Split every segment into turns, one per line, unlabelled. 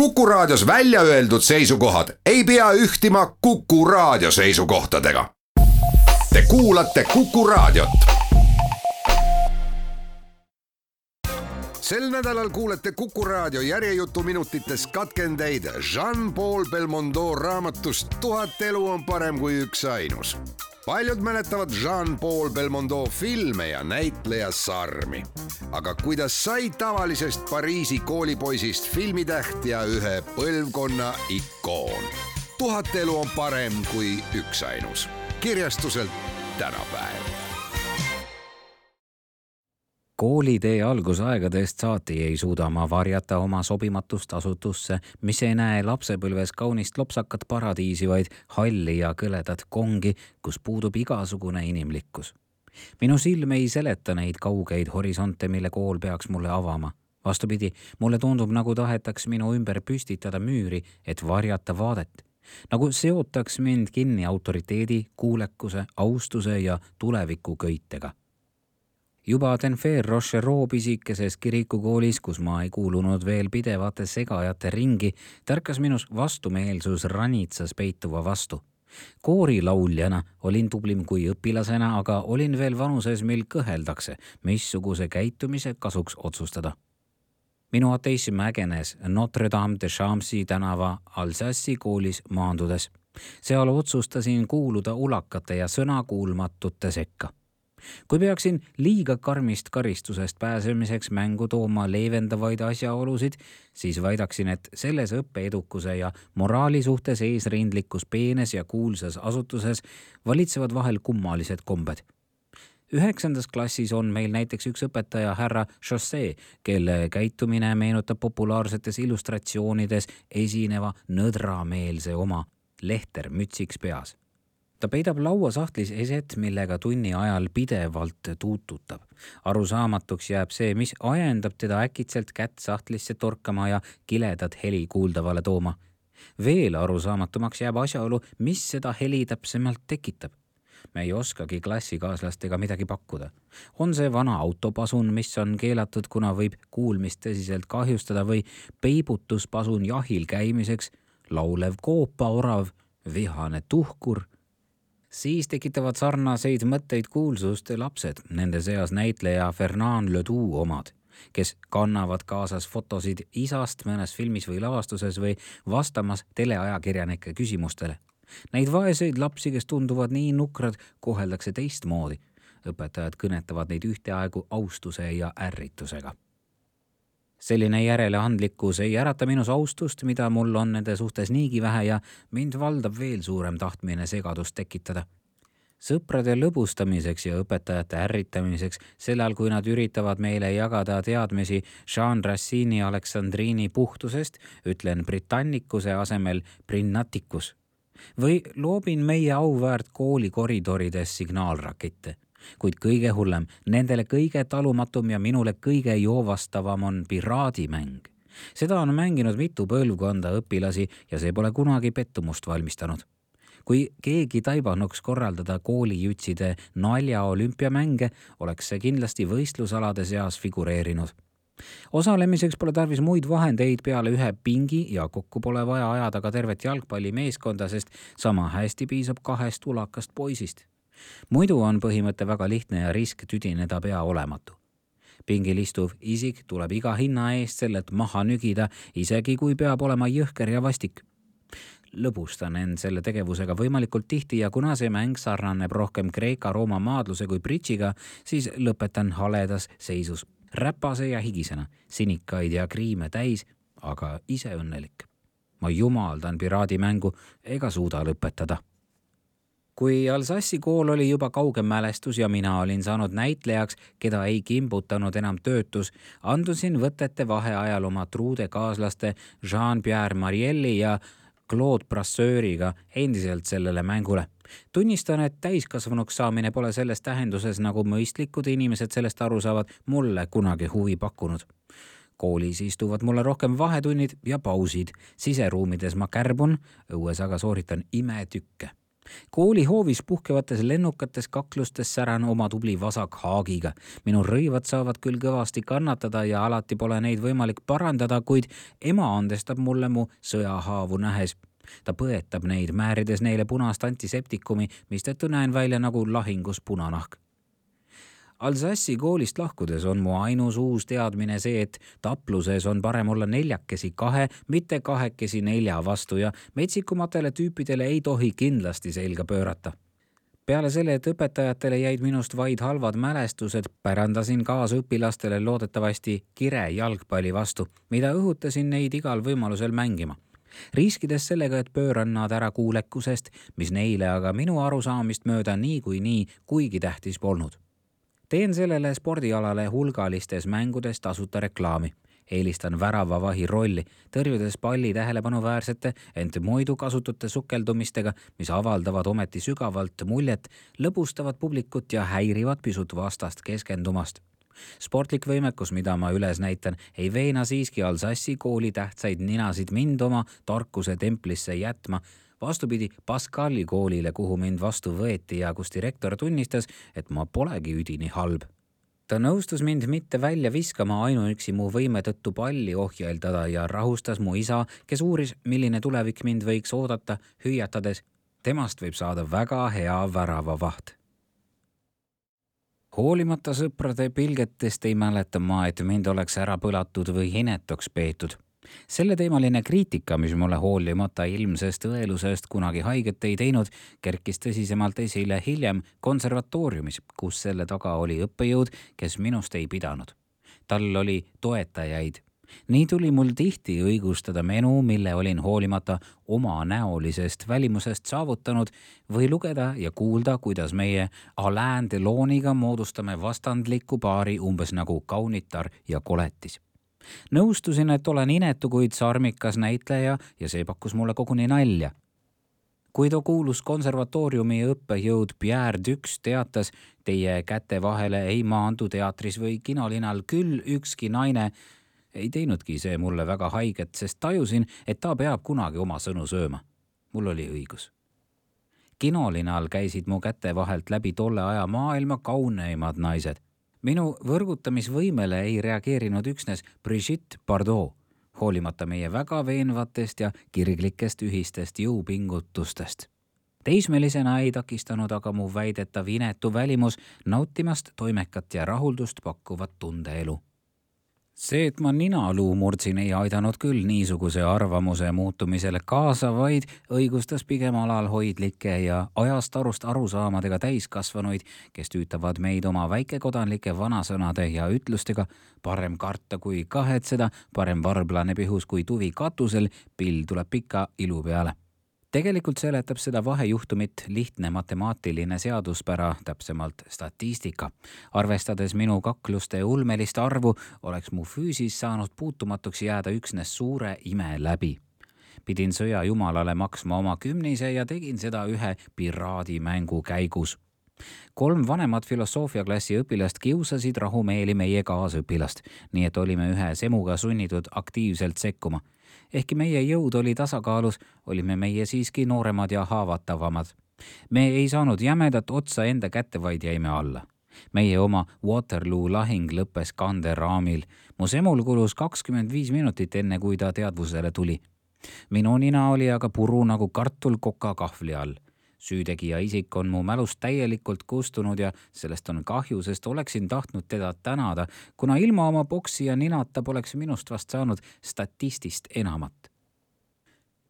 Kuku Raadios välja öeldud seisukohad ei pea ühtima Kuku Raadio seisukohtadega. Te kuulate Kuku Raadiot. Sel nädalal kuulete Kuku Raadio järjejutuminutites katkendeid Jean-Paul Belmondo raamatust 1000 elu on parem kui üksainus. Paljud mäletavad Jean-Paul Belmondo filme ja näitleja Sarmi. Aga kuidas sai tavalisest Pariisi koolipoisist filmitäht ja ühe põlvkonna ikoon? 1000 elu on parem kui üksainus. Kirjastuselt Tänapäev.
Koolitee algusaegadest saati ei suuda ma varjata oma sobimatust asutusse, mis ei näe lapsepõlves kaunist lopsakat paradiisi, vaid halli ja kõledat kongi, kus puudub igasugune inimlikkus. Minu silm ei seleta neid kaugeid horisonte, mille kool peaks mulle avama. Vastupidi, mulle tundub, nagu tahetaks minu ümber püstitada müüri, et varjata vaadet. Nagu seotaks mind kinni autoriteedi, kuulekuse, austuse ja tuleviku köitega. Juba Denfer Rochereau pisikeses kirikukoolis, kus ma ei kuulunud veel pidevate segajate ringi, tärkas minus vastumeelsus ranitsas peituva vastu. Koorilauljana olin tublim kui õpilasena, aga olin veel vanuses, mil kõheldakse, missuguse käitumise kasuks otsustada. Minu ateism ägenes Notre Dame de Champs tänava Alsassi koolis maandudes. Seal otsustasin kuuluda ulakate ja sõnakuulmatute sekka. Kui peaksin liiga karmist karistusest pääsemiseks mängu tooma leevendavaid asjaolusid, siis väidaksin, et selles õppeedukuse ja moraali suhtes eesrindlikus peenes ja kuulsas asutuses valitsevad vahel kummalised kombed. 9. klassis on meil näiteks üks õpetaja härra Chausset, kelle käitumine meenutab populaarsetes illustratsioonides esineva nõdrameelse oma lehter mütsiks peas. Ta peidab lauasahtlis eset, millega tunni ajal pidevalt tuututab. Arusaamatuks jääb see, mis ajendab teda äkitselt kätt sahtlisse torkama ja kiledat heli kuuldavale tooma. Veel arusaamatumaks jääb asjaolu, mis seda heli täpsemalt tekitab. Me ei oskagi klassikaaslastega midagi pakkuda. On see vana autopasun, mis on keelatud, kuna võib kuulmist tõsiselt kahjustada, või peibutuspasun jahil käimiseks, laulev koopaorav, vihane tuhkur. Siis tekitavad sarnaseid mõtteid kuulsuste lapsed, nende seas näitleja Fernand Ledoux omad, kes kannavad kaasas fotosid isast mõnes filmis või lavastuses või vastamas teleajakirjanike küsimustele. Neid vaeseid lapsi, kes tunduvad nii nukrad, koheldakse teistmoodi. Õpetajad kõnetavad neid ühteaegu austuse ja ärritusega. Selline järeleandlikkus ei ärata minus austust, mida mul on nende suhtes niigi vähe, ja mind valdab veel suurem tahtmine segadust tekitada. Sõprade lõbustamiseks ja õpetajate ärritamiseks, sellal kui nad üritavad meile jagada teadmisi Jean Racini Aleksandriini puhtusest, ütlen britannikuse asemel brinnatikus. Või loobin meie auväärt kooli koridorides signaalrakette. Kuid kõige hullem, nendele kõige talumatum ja minule kõige joovastavam on piraadimäng. Seda on mänginud mitu põlvkonda õpilasi ja see pole kunagi pettumust valmistanud. Kui keegi taibanuks korraldada koolijutside nalja olümpiamänge, oleks see kindlasti võistlusalade seas figureerinud. Osalemiseks pole tarvis muid vahendeid peale ühe pingi ja kokku pole vaja ajada ka tervet jalgpallimeeskonda, sest sama hästi piisab 2 ulakast poisist. Muidu on põhimõte väga lihtne ja risk tüdineda pea olematu. Pingil istuv isik tuleb iga hinna eest sellelt maha nügida, isegi kui peab olema jõhker ja vastik. Lõbustan end selle tegevusega võimalikult tihti ja kuna see mäng sarnaneb rohkem Kreeka-Rooma maadluse kui bridžiga, siis lõpetan haledas seisus, räpase ja higisena, sinikaid ja kriime täis, aga ise õnnelik. Ma jumaldan piraadimängu ega suuda lõpetada. Kui Alsassi kool oli juba kaugem mälestus ja mina olin saanud näitlejaks, keda ei kimbutanud enam töötus, andusin võtete vaheajal oma truude kaaslaste Jean-Pierre Marielli ja Claude Brasseuriga endiselt sellele mängule. Tunnistan, et täiskasvanuks saamine pole selles tähenduses, nagu mõistlikud inimesed sellest aru saavad, mulle kunagi huvi pakkunud. Koolis istuvad mulle rohkem vahetunnid ja pausid. Siseruumides ma kärbun, õues aga sooritan imetükke. Koolihoovis puhkevates lennukates kaklustes säran oma tubli vasakhaagiga. Minu rõivad saavad küll kõvasti kannatada ja alati pole neid võimalik parandada, kuid ema andestab mulle mu sõjahaavu nähes. Ta põetab neid, määrides neile punast antiseptikumi, mistõttu näen välja nagu lahingus punanahk. Alsassi koolist lahkudes on mu ainus uus teadmine see, et tapluses on parem olla 4-2, mitte 2-4 vastu ja metsikumatele tüüpidele ei tohi kindlasti selga pöörata. Peale selle, et õpetajatele jäid minust vaid halvad mälestused, pärandasin kaasõpilastele loodetavasti kire jalgpalli vastu, mida õhutasin neid igal võimalusel mängima. Riskides sellega, et pööran nad ära kuulekusest, mis neile aga minu arusaamist mööda nii kuigi tähtis polnud. Teen sellele spordialale hulgalistes mängudes tasuta reklaami. Eelistan väravavahi rolli, tõrjudes palli tähelepanuväärsete, ent muidu kasutute sukeldumistega, mis avaldavad ometi sügavalt muljet, lõbustavad publikut ja häirivad pisut vastast keskendumast. Sportlik võimekus, mida ma üles näitan, ei veena siiski Alsassi kooli tähtsaid ninasid mind oma tarkuse templisse jätma. Vastupidi Pascali koolile, kuhu mind vastu võeti ja kus direktor tunnistas, et ma polegi üdini halb. Ta nõustus mind mitte välja viskama ainuüksi mu võime tõttu palli ohjeldada ja rahustas mu isa, kes uuris, milline tulevik mind võiks oodata, hüüatades, temast võib saada väga hea väravavaht. Hoolimata sõprade pilgetest ei mäleta ma, et mind oleks ära põlatud või inetuks peetud. Selle teemaline kriitika, mis mulle hoolimata ilmsest õelusest kunagi haiget ei teinud, kerkis tõsisemalt esile hiljem konservatooriumis, kus selle taga oli õppejõud, kes minust ei pidanud. Tal oli toetajaid. Nii tuli mul tihti õigustada menu, mille olin hoolimata oma näolisest välimusest saavutanud või lugeda ja kuulda, kuidas meie Alain Deloniga moodustame vastandliku paari umbes nagu kaunitar ja koletis. Nõustusin, et olen inetu, kuid sarmikas näitleja ja see pakkus mulle koguni nalja. Kui ta kuulus konservatooriumi õppejõud Pierre Dux teatas, teie käte vahele ei maandu teatris või kinolinal küll ükski naine, ei teinudki see mulle väga haiget, sest tajusin, et ta peab kunagi oma sõnu sööma. Mul oli õigus. Kinolinal käisid mu käte vahelt läbi tolle aja maailma kauneimad naised. Minu võrgutamisvõimele ei reageerinud üksnes Brigitte Bardot, hoolimata meie väga veenvatest ja kirglikest ühistest jõupingutustest. Teismelisena ei takistanud aga mu väidetav inetu välimus nautimast toimekat ja rahuldust pakkuvat tundeelu. See, et ma ninaluu murdsin, ei aidanud küll niisuguse arvamuse muutumisele kaasa, vaid õigustas pigem alalhoidlikke ja ajast arust arusaamadega täiskasvanuid, kes tüütavad meid oma väikekodanlike vanasõnade ja ütlustega parem karta kui kahetseda, parem varblane pihus kui tuvi katusel, pill tuleb pika ilu peale. Tegelikult seletab seda vahejuhtumit lihtne matemaatiline seaduspära, täpsemalt statistika. Arvestades minu kakluste ulmelist arvu, oleks mu füüsis saanud puutumatuks jääda üksnes suure ime läbi. Pidin sõja jumalale maksma oma 10 ja tegin seda ühe piraadimängu käigus. 3 vanemat filosoofiaklassi õpilast kiusasid rahumeeli meie kaasõpilast, nii et olime ühe semuga sunnitud aktiivselt sekkuma. Ehkki meie jõud oli tasakaalus, olime meie siiski nooremad ja haavatavamad. Me ei saanud jämedat otsa enda kätte, vaid jäime alla. Meie oma Waterloo lahing lõppes kanderaamil. Mu semul kulus 25 minutit enne, kui ta teadvusele tuli. Minu nina oli aga puru nagu kartul koka kahvli all. Süütegija isik on mu mälust täielikult kustunud ja sellest on kahju, sest oleksin tahtnud teda tänada, kuna ilma oma boksi ja ninata poleks minust vast saanud statistist enamat.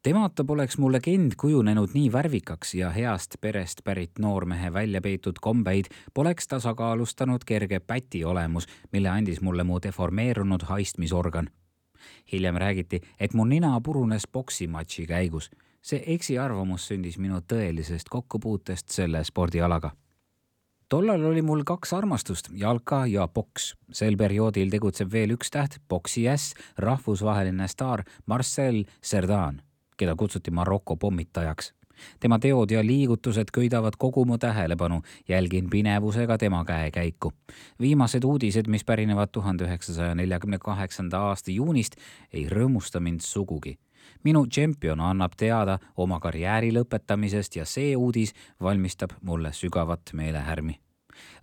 Temata poleks mu legend kujunenud nii värvikaks ja heast perest pärit noormehe välja peetud kombeid poleks tasakaalustanud kerge päti olemus, mille andis mulle mu deformeerunud haistmisorgan. Hiljem räägiti, et mu nina purunes boksimatši käigus. See eksiarvamus sündis minu tõelisest kokkupuutest selle spordialaga. Tollal oli mul 2 armastust, jalka ja boks. Sel perioodil tegutseb veel üks täht, boksi äss, rahvusvaheline staar Marcel Cerdan, keda kutsuti Maroko pommitajaks. Tema teod ja liigutused köidavad kogu mu tähelepanu, jälgin pinevusega tema käekäiku. Viimased uudised, mis pärinevad 1948. aasta juunist, ei rõõmusta mind sugugi. minu tšempion annab teada oma karjääri lõpetamisest ja see uudis valmistab mulle sügavat meelehärmi.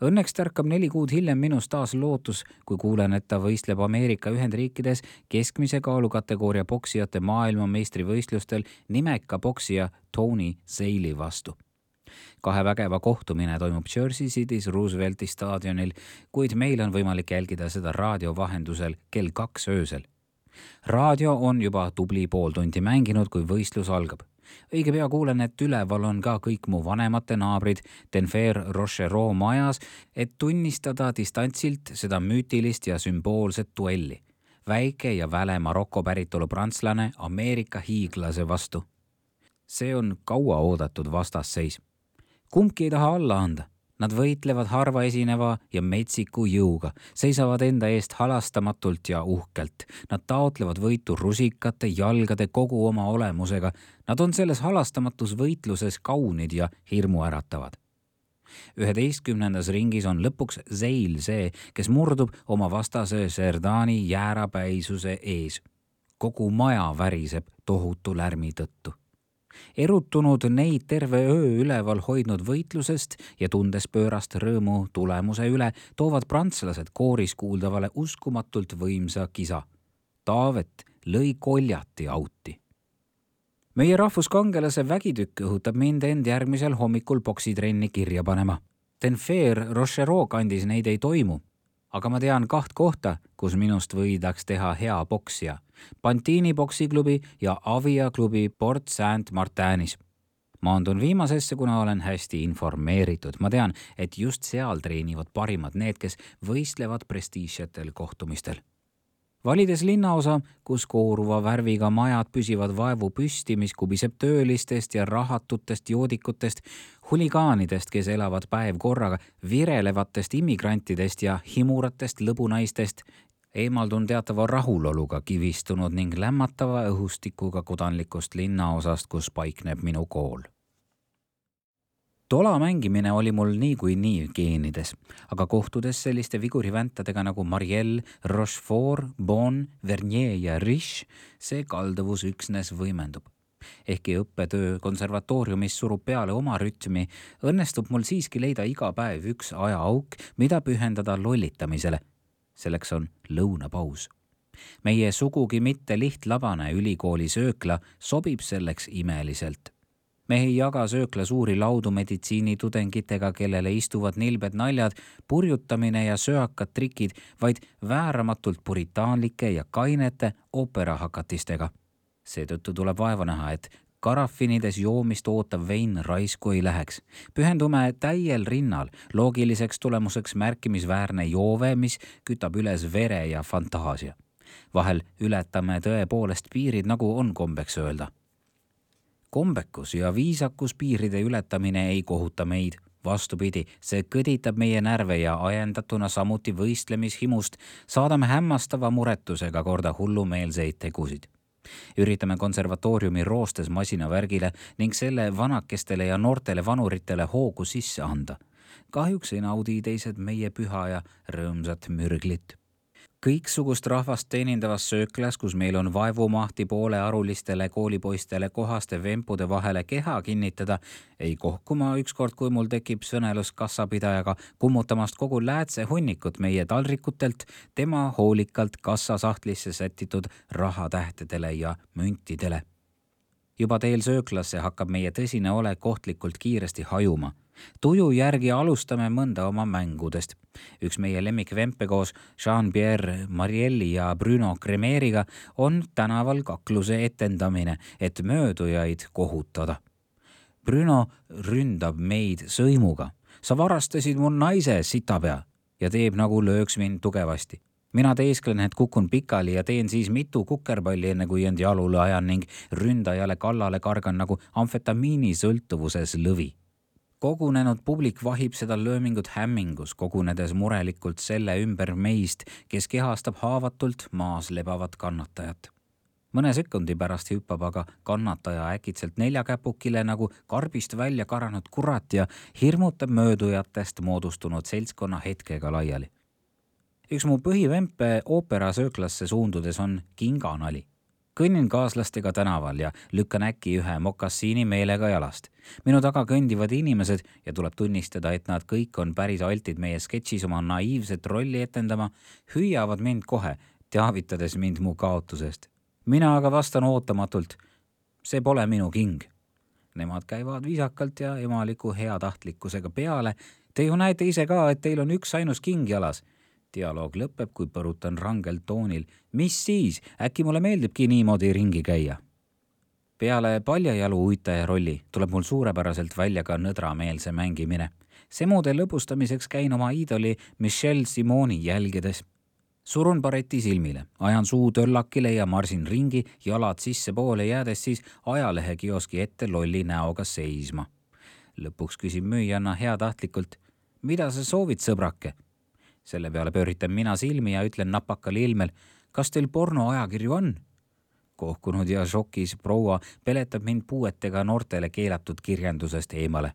Õnneks tärkab 4 kuud hiljem minus taas lootus, kui kuulen, et ta võistleb Ameerika Ühendriikides keskmise kaalukategooria poksijate maailmameistrivõistlustel nimeka poksija Tony Zale vastu. 2 vägeva kohtumine toimub Jersey City's Roosevelti staadionil, kuid meil on võimalik jälgida seda raadio vahendusel kell 2 öösel. Raadio on juba tubli pool tundi mänginud, kui võistlus algab. Õige pea kuulen, et üleval on ka kõik mu vanemate naabrid Denver Rochereau majas, et tunnistada distantsilt seda müütilist ja sümboolset duelli. Väike ja väle Maroko päritolu prantslane Ameerika hiiglase vastu. See on kaua oodatud vastasseis. Kumbki ei taha alla anda. Nad võitlevad harva esineva ja metsiku jõuga, seisavad enda eest halastamatult ja uhkelt. Nad taotlevad võitu rusikate, jalgade, kogu oma olemusega. Nad on selles halastamatus võitluses kaunid ja hirmu äratavad. 11. ringis on lõpuks Zale see, kes murdub oma vastase Serdani jäärapäisuse ees. Kogu maja väriseb tohutu lärmi tõttu. Erutunud neid terve öö üleval hoidnud võitlusest ja tundes pöörast rõõmu tulemuse üle, toovad prantslased kooris kuuldavale uskumatult võimsa kisa. Taavet lõi koljati auti. Meie rahvuskangelase vägitükk õhutab mind end järgmisel hommikul poksitrenni kirja panema. Denver Rochereau kandis neid ei toimu, aga ma tean 2 kohta, kus minust võidaks teha hea poksija. Pantini poksiklubi ja Avia klubi Port Saint-Martinis. Maandun viimasesse, kuna olen hästi informeeritud. Ma tean, et just seal treenivad parimad need, kes võistlevad prestiižsetel kohtumistel. Valides linnaosa, kus kooruva värviga majad püsivad vaevu püsti, mis kubiseb töölistest ja rahatutest joodikutest, huligaanidest, kes elavad päev korraga, virelevatest immigrantidest ja himuratest lõbunaistest, eemaldun teatava rahuloluga kivistunud ning lämmatava õhustikuga kodanlikust linnaosast, kus paikneb minu kool. Tola mängimine oli mul nii geenides, aga kohtudes selliste viguriväntadega nagu Marielle, Rochefort, Bon, Vernier ja Riche, see kalduvus üksnes võimendub. Ehkki õppetöö konservatooriumis surub peale oma rütmi, õnnestub mul siiski leida iga päev üks ajaauk, mida pühendada lollitamisele. Selleks on lõunapaus. Meie sugugi mitte lihtlabane ülikooli söökla sobib selleks imeliselt. Me ei jaga söökla suuri laudu meditsiinitudengitega, kellele istuvad nilbed naljad, purjutamine ja söakad trikid, vaid vääramatult puritaanlike ja kainete ooperahakatistega. Seetõttu tuleb vaeva näha, et karafinides joomist ootav vein raisku ei läheks. Pühendume täiel rinnal, loogiliseks tulemuseks märkimisväärne joove, mis kütab üles vere ja fantaasia. Vahel ületame tõepoolest piirid, nagu on kombeks öelda. Kombekus ja viisakus piiride ületamine ei kohuta meid. Vastupidi, see kõditab meie närve ja ajendatuna samuti võistlemishimust saadame hämmastava muretusega korda hullumeelseid tegusid. Üritame konservatooriumi roostes masinavärgile ning selle vanakestele ja noortele vanuritele hoogu sisse anda. Kahjuks ei naudi teised meie püha ja rõõmsat mürglit. Kõiksugust rahvast teenindavas sööklas, kus meil on vaevumahti poole arulistele koolipoistele kohaste vempude vahele keha kinnitada, ei kohku ma ükskord, kui mul tekib sõnelus kassapidajaga kummutamast kogu läätse hunnikut meie taldrikutelt tema hoolikalt kassasahtlisse sätitud rahatähtedele ja müntidele. Juba teel sööklasse hakkab meie tõsine olek kohtlikult kiiresti hajuma. Tuju järgi alustame mõnda oma mängudest. Üks meie lemmikvempe koos Jean-Pierre Marielli ja Bruno Cremeriga on tänaval kakluse etendamine, et möödujaid kohutada. Bruno ründab meid sõimuga. Sa varastasid mu naise, sitapea, ja teeb nagu lööks mind tugevasti. Mina teesklen, et kukun pikali ja teen siis mitu kukerpalli, enne kui end jalule ajan ning ründajale kallale kargan nagu amfetamiini sõltuvuses lõvi. Kogunenud publik vahib seda löömingut hämmingus, kogunedes murelikult selle ümber meist, kes kehastab haavatult maas lebavat kannatajat. Mõne sekundi pärast hüppab aga kannataja äkitselt neljakäpukile nagu karbist välja karanud kurat ja hirmutab möödujatest moodustunud seltskonna hetkega laiali. Üks mu põhivempe ooperasööklasse suundudes on kinganali. kõnnin kaaslastega tänaval ja lükkan äkki ühe mokassiini meelega jalast. Minu taga kõndivad inimesed ja tuleb tunnistada, et nad kõik on päris altid meie sketšis oma naiivset rolli etendama, hüüavad mind kohe, teavitades mind mu kaotusest. Mina aga vastan ootamatult, see pole minu king. Nemad käivad viisakalt ja emaliku heatahtlikkusega peale. Te ju näete ise ka, et teil on üks ainus king jalas. Dialoog lõpeb, kui põrutan rangelt toonil. Mis siis? Äkki mulle meeldibki niimoodi ringi käia? Peale paljajalu uitaja rolli tuleb mul suurepäraselt välja ka nõdrameelse mängimine. See moode lõbustamiseks käin oma iidoli Michelle Simoni jälgides. Surun bareti silmile, ajan suu töllakile ja marsin ringi, jalad sisse poole jäädes siis ajalehe kioski ette lolli näoga seisma. Lõpuks küsin müüjanna heatahtlikult, mida sa soovid, sõbrake? Selle peale pööritan mina silmi ja ütlen napakal ilmel, kas teil pornoajakirju on? Kohkunud ja šokis proua peletab mind puuetega noortele keelatud kirjandusest eemale.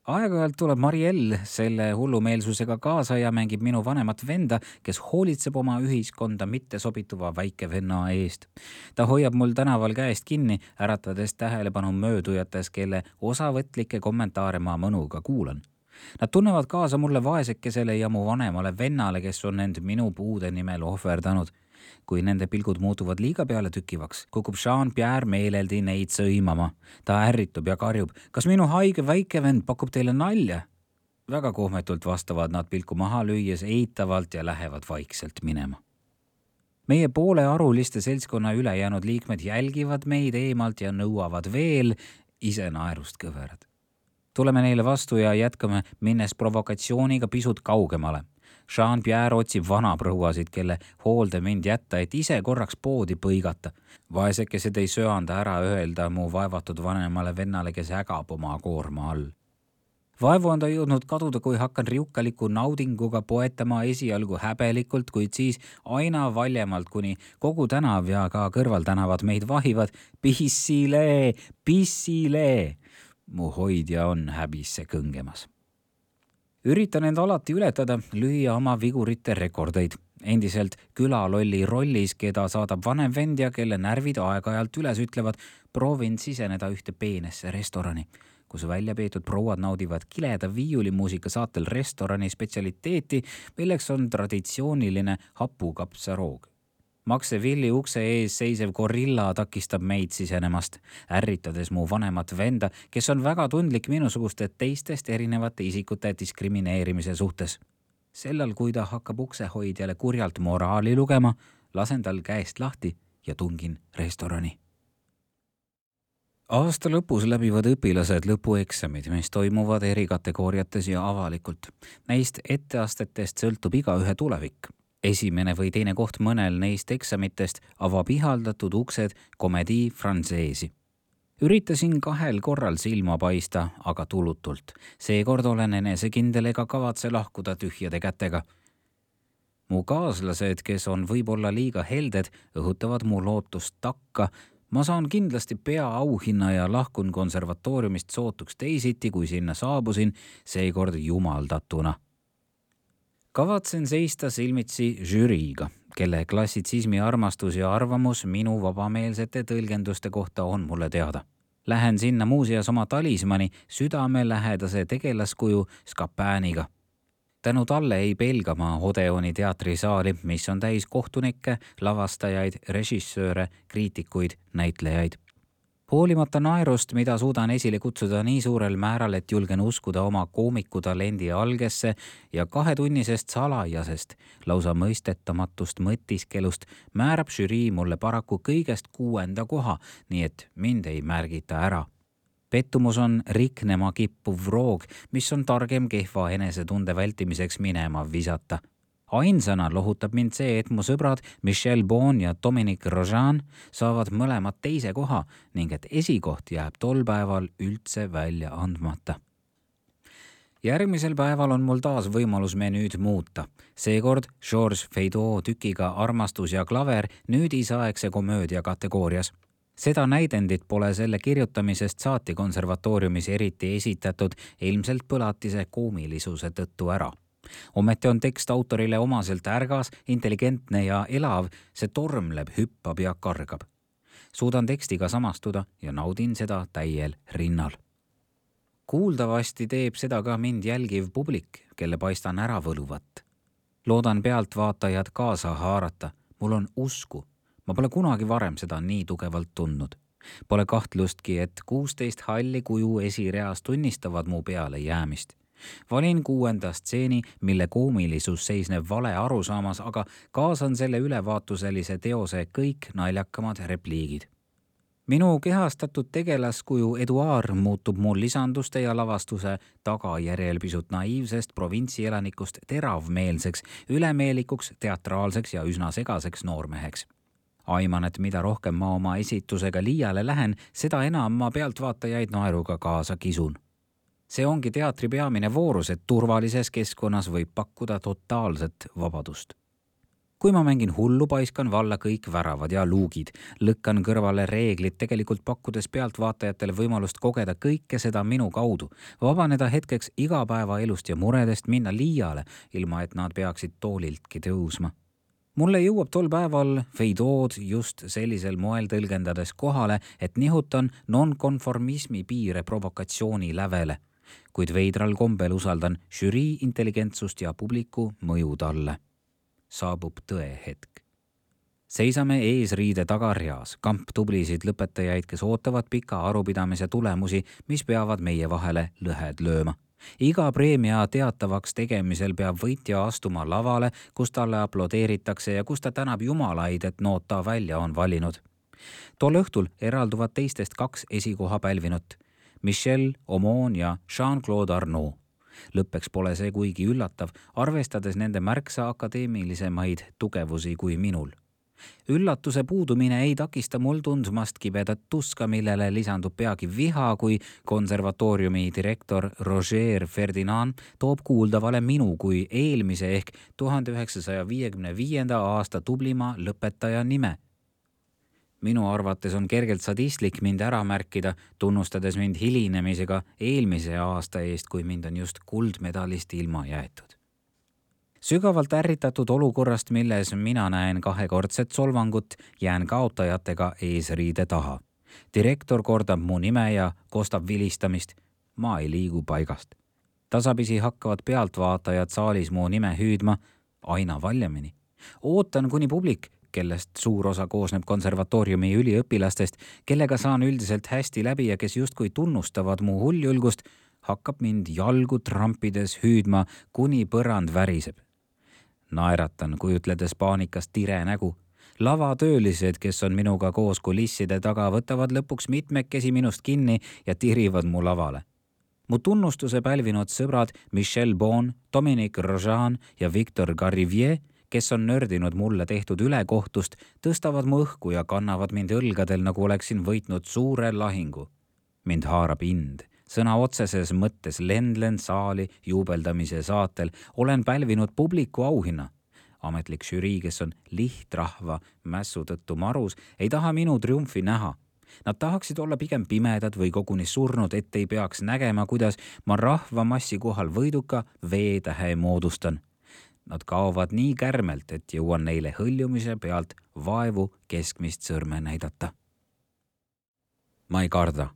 Aeg-ajalt tuleb Marielle selle hullumeelsusega kaasa ja mängib minu vanemat venda, kes hoolitseb oma ühiskonda mitte sobituva väike venna eest. Ta hoiab mul tänaval käest kinni, äratades tähelepanu möödujates, kelle osavõtlikke kommentaare ma mõnuga kuulan. Nad tunnevad kaasa mulle vaesekesele ja mu vanemale vennale, kes on end minu puude nimel ohverdanud. Kui nende pilgud muutuvad liiga peale tükivaks, kukub Jean-Pierre meeleldi neid sõimama. Ta ärritub ja karjub, kas minu haige väikevend pakub teile nalja? Väga kohmetult vastavad nad pilku maha lüües eitavalt ja lähevad vaikselt minema. Meie poole aruliste seltskonna ülejäänud liikmed jälgivad meid eemalt ja nõuavad veel, ise naerust kõverad. Tuleme neile vastu ja jätkame, minnes provokatsiooniga pisut kaugemale. Jean-Pierre otsib vanaprouasid, kelle hoolde mind jätta, et ise korraks poodi põigata. Vaesekesed ei söanda ära öelda mu vaevatud vanemale vennale, kes ägab oma koorma all. Vaevu on ta jõudnud kaduda, kui hakkan riukaliku naudinguga poetama esialgu häbelikult, kuid siis aina valjemalt, kuni kogu tänav ja ka kõrvaltänavad meid vahivad. Pissile, pissile! Mu hoidja on häbisse kõngemas. Üritan end alati ületada, lüüa oma vigurite rekordeid. Endiselt külalolli rollis, keda saadab vanem vend ja kelle närvid aeg-ajalt üles ütlevad, proovin siseneda ühte peenesse restorani, kus välja peetud prouad naudivad kileda viiulimuusika saatel restorani spetsialiteeti, milleks on traditsiooniline hapukapsaroog. Maksevilli ukse ees seisev gorilla takistab meid sisenemast, ärritades mu vanemat venda, kes on väga tundlik minusuguste teistest erinevate isikute diskrimineerimise suhtes. Sellal, kui ta hakkab uksehoidjale kurjalt moraali lugema, lasen tal käest lahti ja tungin restorani. Aasta lõpus läbivad õpilased lõpueksamid, mis toimuvad eri kategooriates ja avalikult. Neist etteastetest sõltub igaühe tulevik. Esimene või teine koht mõnel neist eksamitest avab ihaldatud uksed Comédie Françaisi. Üritasin 2 korral silma paista, aga tulutult. Seekord olen enesekindel ega kavatse lahkuda tühjade kätega. Mu kaaslased, kes on võib-olla liiga helded, õhutavad mu lootust takka. Ma saan kindlasti peaauhinna ja lahkun konservatooriumist sootuks teisiti, kui sinna saabusin, seekord jumaldatuna. Kavatsen seista silmitsi žüriiga, kelle klassitsismi armastus ja arvamus minu vabameelsete tõlgenduste kohta on mulle teada. Lähen sinna muuseas oma talismani südamelähedase tegelaskuju Scapaniga. Tänu talle ei pelga ma Odeoni teatrisaali, mis on täis kohtunikke, lavastajaid, režissööre, kriitikuid, näitlejaid. Hoolimata naerust, mida suudan esile kutsuda nii suurel määral, et julgen uskuda oma koomikutalendi algesse ja 2-tunnisest salajasest, lausa mõistetamatust mõtiskelust, määrab žürii mulle paraku kõigest 6. koha, nii et mind ei märgita ära. Pettumus on riknema kippuv roog, mis on targem kehva enesetunde vältimiseks minema visata. Ainsana lohutab mind see, et mu sõbrad Michel Bon ja Dominique Rojan saavad mõlemad 2. koha ning et esikoht jääb tol päeval üldse välja andmata. Järgmisel päeval on mul taas võimalus menüüd muuta. Seekord Georges Feydeau tükiga Armastus ja klaver nüüdisaegse komöödia kategoorias. Seda näidendit pole selle kirjutamisest saati konservatooriumis eriti esitatud, ilmselt põlatise koomilisuse tõttu ära. Ometi on tekst autorile omaselt ärgas, intelligentne ja elav, see tormleb, hüppab ja kargab. Suudan tekstiga samastuda ja naudin seda täiel rinnal. Kuuldavasti teeb seda ka mind jälgiv publik, kelle paistan ära võluvat. Loodan pealtvaatajad kaasa haarata. Mul on usku. Ma pole kunagi varem seda nii tugevalt tundnud. Pole kahtlustki, et 16 halli kuju esireas tunnistavad mu peale jäämist. Valin 6. stseeni, mille koomilisus seisneb vale arusaamas, aga kaasan selle ülevaatuselise teose kõik naljakamad repliigid. Minu kehastatud tegelaskuju Eduard muutub mul lisanduste ja lavastuse tagajärjel pisut naiivsest provintsielanikust teravmeelseks, ülemeelikuks, teatraalseks ja üsna segaseks noormeheks. Aiman, et mida rohkem ma oma esitusega liiale lähen, seda enam ma pealtvaatajaid naeruga kaasa kisun. See ongi teatri peamine voorus, et turvalises keskkonnas võib pakkuda totaalset vabadust. Kui ma mängin hullu, paiskan valla kõik väravad ja luugid, lõkkan kõrvale reeglid, tegelikult pakkudes pealtvaatajatele võimalust kogeda kõike seda minu kaudu, vabaneda hetkeks igapäevaelust ja muredest, minna liiale, ilma et nad peaksid tooliltki tõusma. Mulle jõuab tol päeval Feydeaud just sellisel moel tõlgendades kohale, et nihutan nonkonformismi piire provokatsiooni lävele, kuid veidral kombel usaldan žürii intelligentsust ja publiku mõju talle. Saabub tõe hetk. Seisame eesriide tagarjaas, kamp tublisid lõpetajaid, kes ootavad pika arupidamise tulemusi, mis peavad meie vahele lõhed lööma. Iga preemia teatavaks tegemisel peab võitja astuma lavale, kus talle aplodeeritakse ja kus ta tänab jumalaid, et nood ta välja on valinud. Tol õhtul eralduvad teistest 2 esikoha pälvinut, Michel Aumont ja Jean-Claude Arnaud. Lõppeks pole see kuigi üllatav, arvestades nende märksa akadeemilisemaid tugevusi kui minul. Üllatuse puudumine ei takista mul tundmast kibedat tuska, millele lisandub peagi viha, kui konservatooriumi direktor Roger Ferdinand toob kuuldavale minu kui eelmise ehk 1955. aasta tublima lõpetaja nime. Minu arvates on kergelt sadistlik mind ära märkida, tunnustades mind hilinemisega eelmise aasta eest, kui mind on just kuldmedalist ilma jäetud. Sügavalt ärritatud olukorrast, milles mina näen 2-kordset solvangut, jään kaotajatega eesriide taha. Direktor kordab mu nime ja kostab vilistamist. Ma ei liigu paigast. Tasapisi hakkavad pealtvaatajad saalis mu nime hüüdma aina valjemini. Ootan, kuni publik, kellest suur osa koosneb konservatooriumi üliõpilastest, kellega saan üldiselt hästi läbi ja kes justkui tunnustavad mu hulljulgust, hakkab mind jalgu trampides hüüdma, kuni põrand väriseb. Naeratan, kujutledes paanikast tire nägu. Lavatöölised, kes on minuga koos kulisside taga, võtavad lõpuks mitmekesi minust kinni ja tirivad mu lavale. Mu tunnustuse pälvinud sõbrad Michel Bon, Dominique Rojan ja Victor Garivier, kes on nördinud mulle tehtud ülekohtust, tõstavad mu õhku ja kannavad mind õlgadel, nagu oleksin võitnud suure lahingu. Mind haarab ind. Sõna otseses mõttes lendlen saali juubeldamise saatel. Olen pälvinud publiku auhinna. Ametlik žürii, kes on lihtrahva mässu tõttu marus, ei taha minu triumfi näha. Nad tahaksid olla pigem pimedad või koguni surnud, et ei peaks nägema, kuidas ma rahva massi kohal võiduka veetähe moodustan. Nad kaovad nii kärmelt, et jõuan neile hõljumise pealt vaevu keskmist sõrme näidata. Ma ei karda.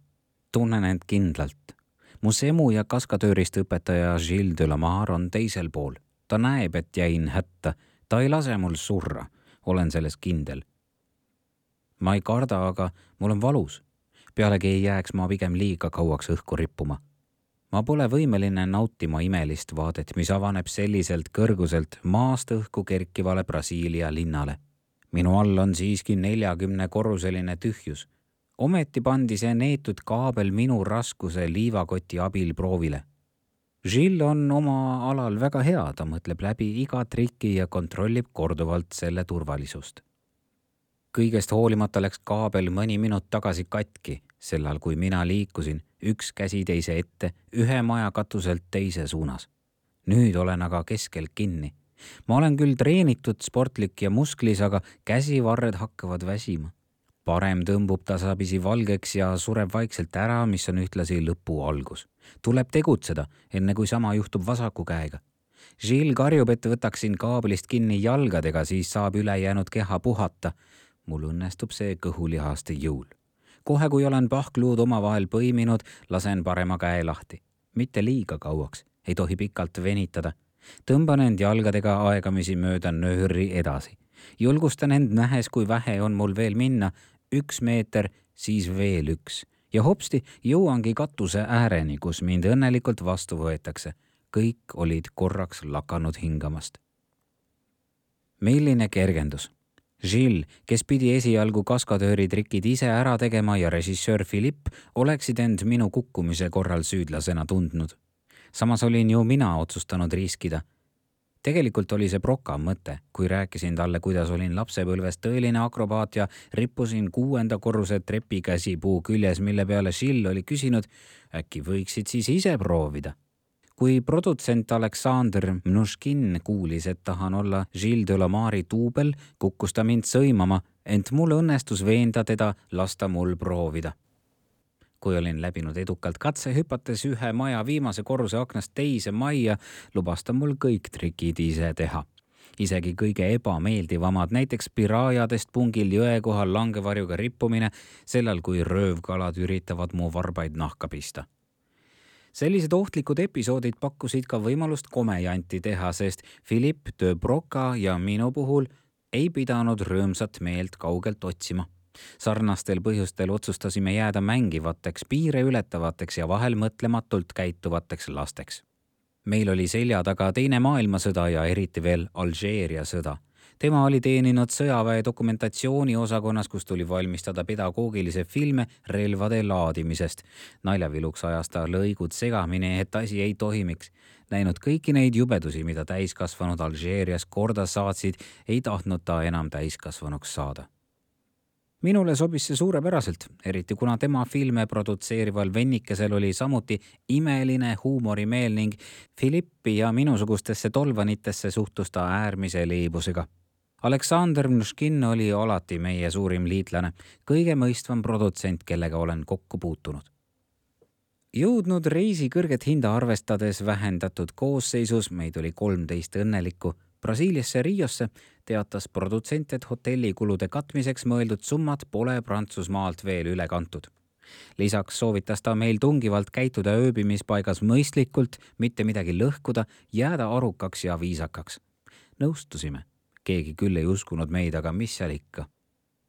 Tunnen end kindlalt. Mu semu ja kaskatöörist õpetaja Gilles de Lamar on teisel pool. Ta näeb, et jäin hätta. Ta ei lase mul surra. Olen selles kindel. Ma ei karda, aga mul on valus. Pealegi ei jääks ma pigem liiga kauaks õhku rippuma. Ma pole võimeline nautima imelist vaadet, mis avaneb selliselt kõrguselt maast õhku kerkivale Brasiilia linnale. Minu all on siiski 40-korruseline tühjus. Ometi pandi see neetud kaabel minu raskuse liivakoti abil proovile. Gilles on oma alal väga hea, ta mõtleb läbi iga triki ja kontrollib korduvalt selle turvalisust. Kõigest hoolimata läks kaabel mõni minut tagasi katki, sellal kui mina liikusin, üks käsi teise ette, ühe maja katuselt teise suunas. Nüüd olen aga keskel kinni. Ma olen küll treenitud, sportlik ja musklis, aga käsivarred hakkavad väsima. Parem tõmbub tasapisi valgeks ja sureb vaikselt ära, mis on ühtlasi lõpu algus. Tuleb tegutseda, enne kui sama juhtub vasaku käega. Gilles karjub, et võtaksin kaablist kinni jalgadega, siis saab ülejäänud keha puhata. mul õnnestub see kõhulihaste jõul. Kohe, kui olen pahkluud omavahel põiminud, lasen parema käe lahti. Mitte liiga kauaks, ei tohi pikalt venitada. Tõmban end jalgadega aegamisi mööda nööri edasi. Julgustan end nähes, kui vähe on mul veel minna, 1 meeter, siis veel 1. Ja hopsti jõuangi katuse ääreni, kus mind õnnelikult vastu võetakse. Kõik olid korraks lakanud hingamast. Milline kergendus. Gilles, kes pidi esialgu kaskadööri trikid ise ära tegema ja režissöör Philippe oleksid end minu kukkumise korral süüdlasena tundnud. Samas olin ju mina otsustanud riskida. Tegelikult oli see Broca mõte, kui rääkisin talle, kuidas olin lapsepõlves tõeline akrobaat ja rippusin 6. korruse trepikäsipuu küljes, mille peale Gilles oli küsinud, äkki võiksid siis ise proovida. Kui produtsent Aleksandr Mnuškin kuulis, et tahan olla Gilles Delamari duubel, kukkus ta mind sõimama, ent mul õnnestus veenda teda lasta mul proovida. Kui olin läbinud edukalt katse, hüpates 1 maja viimase korruse aknast teise majja, lubas ta mul kõik trikid ise teha. Isegi kõige ebameeldivamad, näiteks piraajadest pungil jõe kohal langevarjuga rippumine, sellal kui röövkalad üritavad mu varbaid nahka pista. Sellised ohtlikud episoodid pakkusid ka võimalust komejanti teha, sest Philippe de Broca ja minu puhul ei pidanud rõõmsat meelt kaugelt otsima. Sarnastel põhjustel otsustasime jääda mängivateks, piire ületavateks ja vahel mõtlematult käituvateks lasteks. Meil oli selja taga 2. maailmasõda ja eriti veel Alžeeria sõda. Tema oli teeninud sõjaväe dokumentatsiooni osakonnas, kus tuli valmistada pedagoogilise filme relvade laadimisest. Naljaviluks ajas ta lõigud segamini, et asi ei toimiks. Näinud kõiki neid jubedusi, mida täiskasvanud Alžeerias korda saatsid, ei tahtnud ta enam täiskasvanuks saada. Minule sobis see suurepäraselt, eriti kuna tema filme produtseerival vennikesel oli samuti imeline huumorimeel ning Philippi ja minusugustesse tolvanitesse suhtus ta äärmise liibusega. Aleksandr Mnuškin oli alati meie suurim liitlane, kõige mõistvam produtsent, kellega olen kokku puutunud. Jõudnud reisi kõrget hinda arvestades vähendatud koosseisus, meid oli 13 õnnelikku, Brasiiliasse Riosse teatas produtsent, et hotellikulude katmiseks mõeldud summad pole Prantsusmaalt veel üle kantud. Lisaks soovitas ta meil tungivalt käituda ööbimispaigas mõistlikult, mitte midagi lõhkuda, jääda arukaks ja viisakaks. Nõustusime. Keegi küll ei uskunud meid, aga mis seal ikka.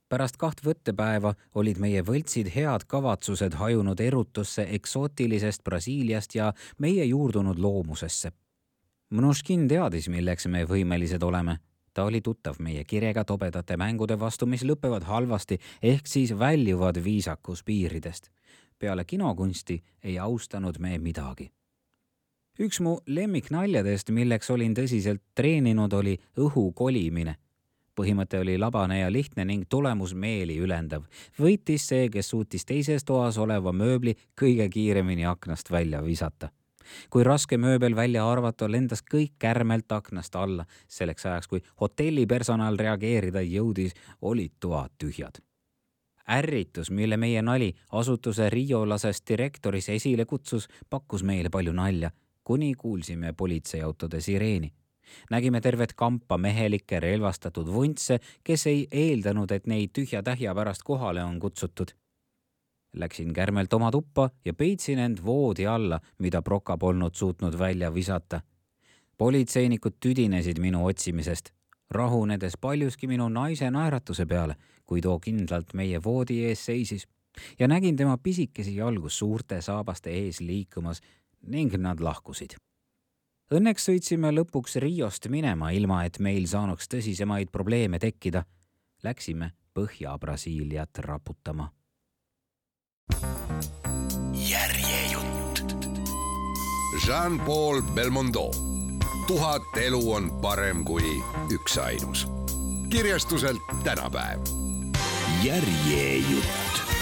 Pärast 2 võttepäeva olid meie võltsid head kavatsused hajunud erutusse eksootilisest Brasiiliast ja meie juurdunud loomusesse. Mnuškin teadis, milleks me võimelised oleme. Ta oli tuttav meie kirega tobedate mängude vastu, mis lõpevad halvasti, ehk siis väljuvad viisakus piiridest. Peale kinokunsti ei austanud me midagi. Üks mu lemmiknaljadest, milleks olin tõsiselt treeninud, oli õhu kolimine. Põhimõte oli labane ja lihtne ning tulemus meeli ülendav. Võitis see, kes suutis teises toas oleva mööbli kõige kiiremini aknast välja visata. Kui raske mööbel välja arvata, lendas kõik kärmelt aknast alla. Selleks ajaks, kui hotelli personal reageerida jõudis, olid toad tühjad. Ärritus, mille meie nali asutuse Riolasest direktoris esile kutsus, pakkus meile palju nalja, kuni kuulsime politseiautode sireeni. Nägime tervet kampa mehelikke relvastatud vuntse, kes ei eeldanud, et neid tühja tähja pärast kohale on kutsutud. Läksin kärmelt oma tuppa ja peitsin end voodi alla, mida Broca polnud suutnud välja visata. Politseinikud tüdinesid minu otsimisest, rahunedes paljuski minu naise naeratuse peale, kui too kindlalt meie voodi ees seisis ja nägin tema pisikesi jalgu suurte saabaste ees liikumas ning nad lahkusid. Õnneks sõitsime lõpuks Riost minema, ilma et meil saanuks tõsisemaid probleeme tekkida. Läksime Põhja-Brasiiliat raputama.
Järjejutt. Jean-Paul Belmondo. 1000 elu on parem kui üksainus. Kirjastuselt tänapäev.
Järjejutt.